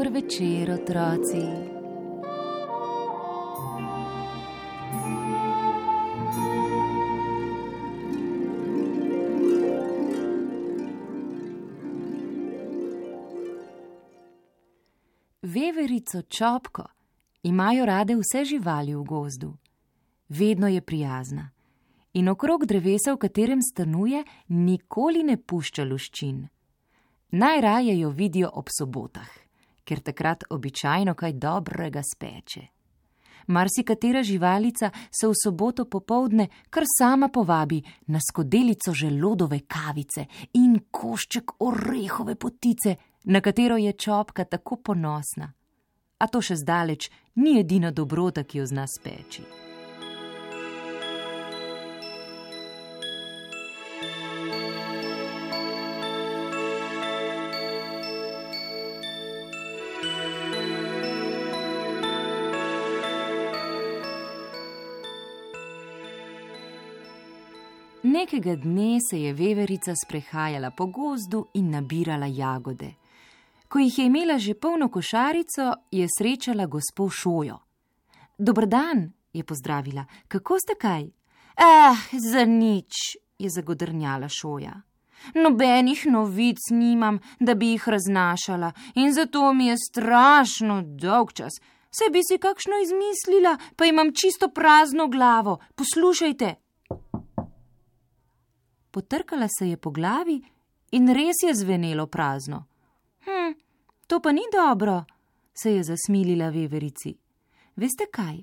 Dober večer, otroci. Veverico Čopko imajo rade vse živali v gozdu. Vedno je prijazna in okrog drevesa, v katerem stanuje, nikoli ne pušča luščin. Najraje jo vidijo ob sobotah, ker takrat običajno kaj dobrega speče. Marsikatera živalica se v soboto popoldne kar sama povabi na skodelico želodove kavice in košček orehove potice, na katero je Čopka tako ponosna. A to še zdaleč ni edina dobrota, ki jo zna speči. Nekega dne se je veverica sprehajala po gozdu in nabirala jagode. Ko jih je imela že polno košarico, je srečala gospo Šojo. Dober dan, je pozdravila. Kako ste kaj? Za nič, je zagodrnjala Šoja. Nobenih novic nimam, da bi jih raznašala in zato mi je strašno dolgčas. Saj bi si kakšno izmislila, pa imam čisto prazno glavo. Poslušajte. Potrkala se je po glavi in res je zvenelo prazno. To pa ni dobro, se je zasmilila veverici. Veste kaj?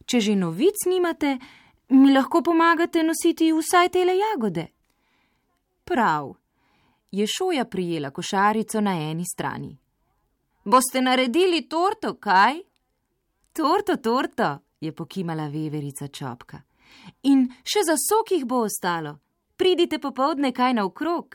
Če že novic nimate, mi lahko pomagate nositi vsaj tele jagode. Prav, je Šoja prijela košarico na eni strani. Boste naredili torto, kaj? Torto, je pokimala veverica Čopka. In še za sok jih bo ostalo. Pridite popoldne kaj naokrog.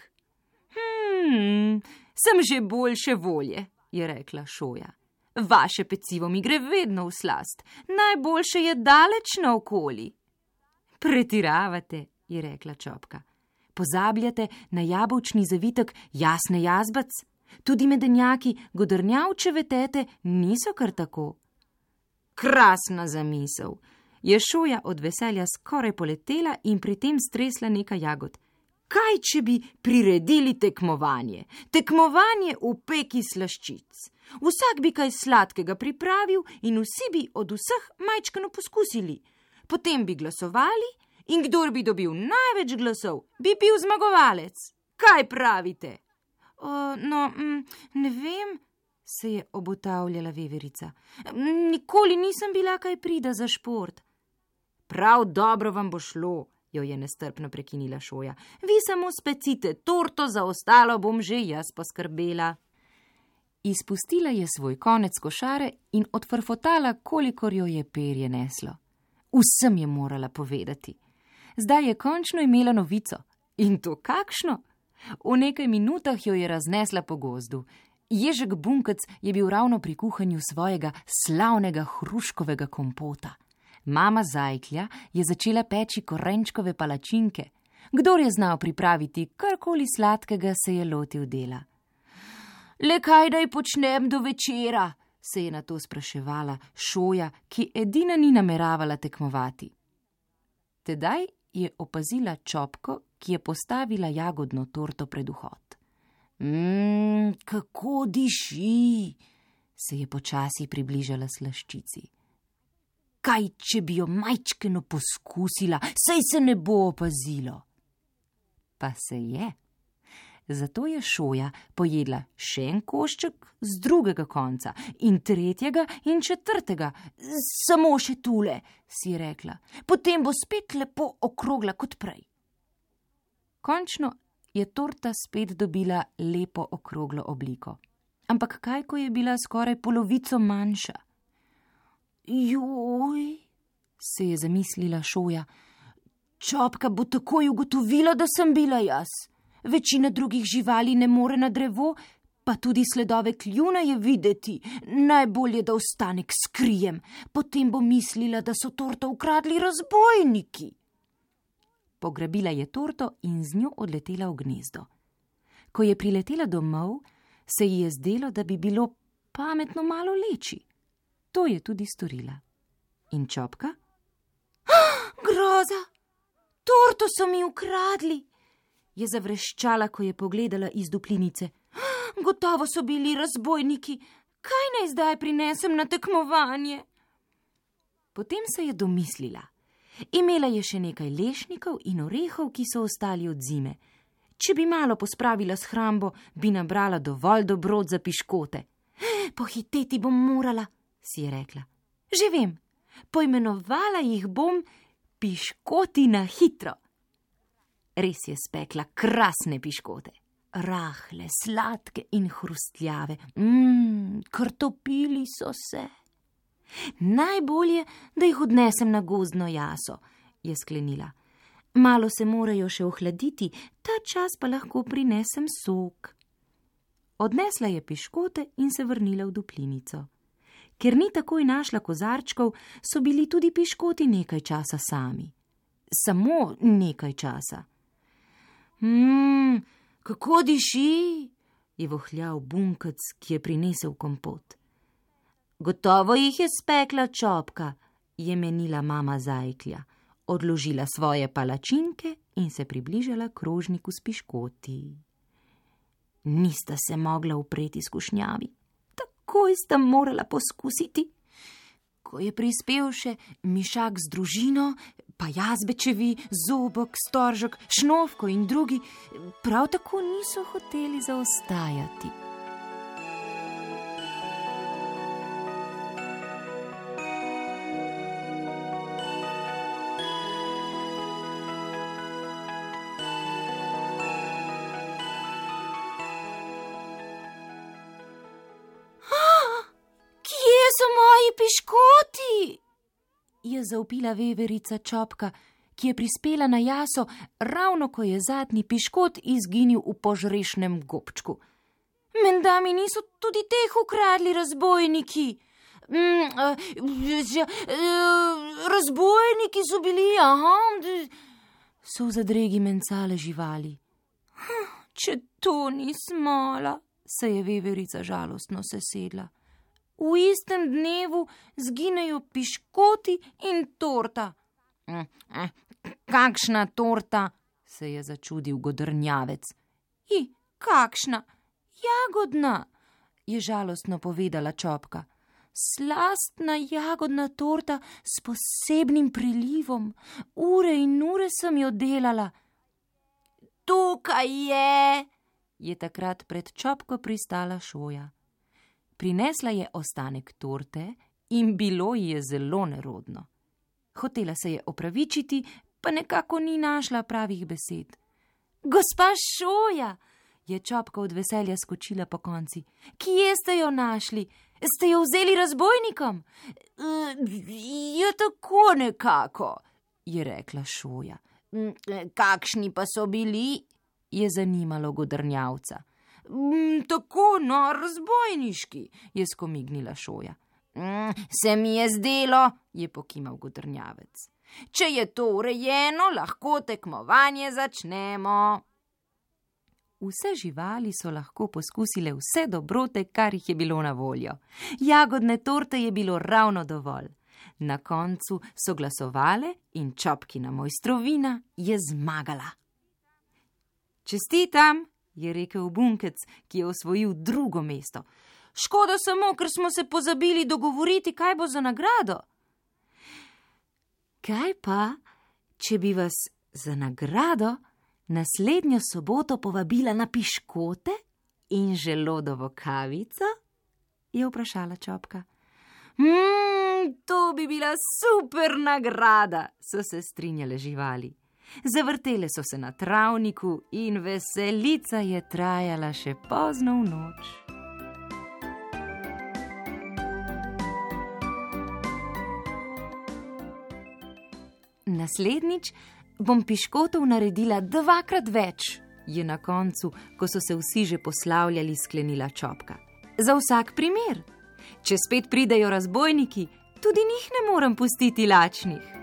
Sem že boljše volje, je rekla Šoja. Vaše pecivo mi gre vedno v slast. Najboljše je daleč naokoli. Pretiravate, je rekla Čopka. Pozabljate na jabolčni zavitek Jasne Jazbec. Tudi medenjaki godrnjavčeve tete niso kar tako. Krasna zamisel. Je Šoja od veselja skoraj poletela in pri tem stresla nekaj jagod. Kaj, če bi priredili tekmovanje? Tekmovanje v peki slaščic. Vsak bi kaj sladkega pripravil in vsi bi od vseh majčkeno poskusili. Potem bi glasovali in kdor bi dobil največ glasov, bi bil zmagovalec. Kaj pravite? Ne vem, se je obotavljala veverica. Nikoli nisem bila kaj prida za šport. Prav dobro vam bo šlo, jo je nestrpno prekinila Šoja. Vi samo specite torto, za ostalo bom že jaz poskrbela. Izpustila je svoj konec košare in odfrfotala, kolikor jo je perje neslo. Vsem je morala povedati. Zdaj je končno imela novico. In to kakšno? V nekaj minutah jo je raznesla po gozdu. Ježek Bunkec je bil ravno pri kuhanju svojega slavnega hruškovega kompota. Mama Zajklja je začela peči korenčkove palačinke. Kdor je znal pripraviti karkoli sladkega, se je lotil dela. Le kaj naj počnem do večera, se je nato spraševala Šoja, ki edina ni nameravala tekmovati. Tedaj je opazila Čopko, ki je postavila jagodno torto pred vhod. Kako diši, se je počasi približala slaščici. Kaj, če bi jo majčkeno poskusila, saj se ne bo opazilo. Pa se je. Zato je Šoja pojedla še en košček z drugega konca in tretjega in četrtega. Samo še tule, si je rekla. Potem bo spet lepo okrogla kot prej. Končno je torta spet dobila lepo okroglo obliko. Ampak kaj, ko je bila skoraj polovico manjša? Joj, se je zamislila Šoja. Čopka bo takoj ugotovila, da sem bila jaz. Večina drugih živali ne more na drevo, pa tudi sledove kljuna je videti. Najbolje, da ostanek skrijem. Potem bo mislila, da so torto ukradli razbojniki. Pograbila je torto in z njo odletela v gnezdo. Ko je priletela domov, se ji je zdelo, da bi bilo pametno malo leči. To je tudi storila. In Čopka? Groza! Torto so mi ukradli! Je zavreščala, ko je pogledala iz duplinice. Gotovo so bili razbojniki. Kaj naj zdaj prinesem na tekmovanje? Potem se je domislila. Imela je še nekaj lešnikov in orehov, ki so ostali od zime. Če bi malo pospravila s hrambo, bi nabrala dovolj dobrot za piškote. Pohiteti bom morala, si je rekla. Že vem, poimenovala jih bom Piškoti na hitro. Res je spekla krasne piškote. Rahle, sladke in hrustljave. Krtopili so se. Najbolje, da jih odnesem na gozdno jaso, je sklenila. Malo se morajo še ohladiti, ta čas pa lahko prinesem sok. Odnesla je piškote in se vrnila v duplinico. Ker ni takoj našla kozarčkov, so bili tudi piškoti nekaj časa sami. Samo nekaj časa. Kako diši, je vohljal Bunkec, ki je prinesel kompot. Gotovo jih je spekla Čopka, je menila mama Zajklja. Odložila svoje palačinke in se približala krožniku s piškoti. Nista se mogla upreti skušnjavi. Takoj sta morala poskusiti. Ko je prispel še Mišak z družino, pa Jazbečevi, Zobek, Storžek, Šnovko in drugi, prav tako niso hoteli zaostajati. Piškoti, je zavpila veverica Čopka, ki je prispela na jaso, ravno ko je zadnji piškot izginil v požrešnem gobčku. Menda mi niso tudi teh ukradli razbojniki. Razbojniki so bili, so v zadregi mencale živali. Če to ni smola, se je veverica žalostno sesedla. V istem dnevu zginejo piškoti in torta. Kakšna torta, se je začudil Godrnjavec. Kakšna? Jagodna, je žalostno povedala Čopka. Slastna jagodna torta s posebnim prilivom. Ure in ure sem jo delala. Tukaj je takrat pred Čopko pristala Šoja. Prinesla je ostanek torte in bilo ji je zelo nerodno. Hotela se je opravičiti, pa nekako ni našla pravih besed. Gospa Šoja, je Čopka od veselja skočila po konci. Kje ste jo našli? Ste jo vzeli razbojnikom? Je tako nekako, je rekla Šoja. Kakšni pa so bili? Je zanimalo Godrnjavca. Tako, razbojniški, je skomignila Šoja. Se mi je zdelo, je pokimal Godrnjavec. Če je to urejeno, lahko tekmovanje začnemo. Vse živali so lahko poskusile vse dobrote, kar jih je bilo na voljo. Jagodne torte je bilo ravno dovolj. Na koncu so glasovale in Čopkina mojstrovina je zmagala. Čestitam, je rekel Bunkec, ki je osvojil drugo mesto. Škoda samo, ker smo se pozabili dogovoriti, kaj bo za nagrado. Kaj pa, če bi vas za nagrado naslednjo soboto povabila na piškote in želodovo kavico? Je vprašala Čopka. To bi bila super nagrada, so se strinjale živali. Zavrtele so se na travniku in veselica je trajala še pozno v noč. Naslednjič bom piškotov naredila 2-krat več, je na koncu, ko so se vsi že poslavljali, sklenila Čopka. Za vsak primer. Če spet pridejo razbojniki, tudi njih ne morem pustiti lačnih.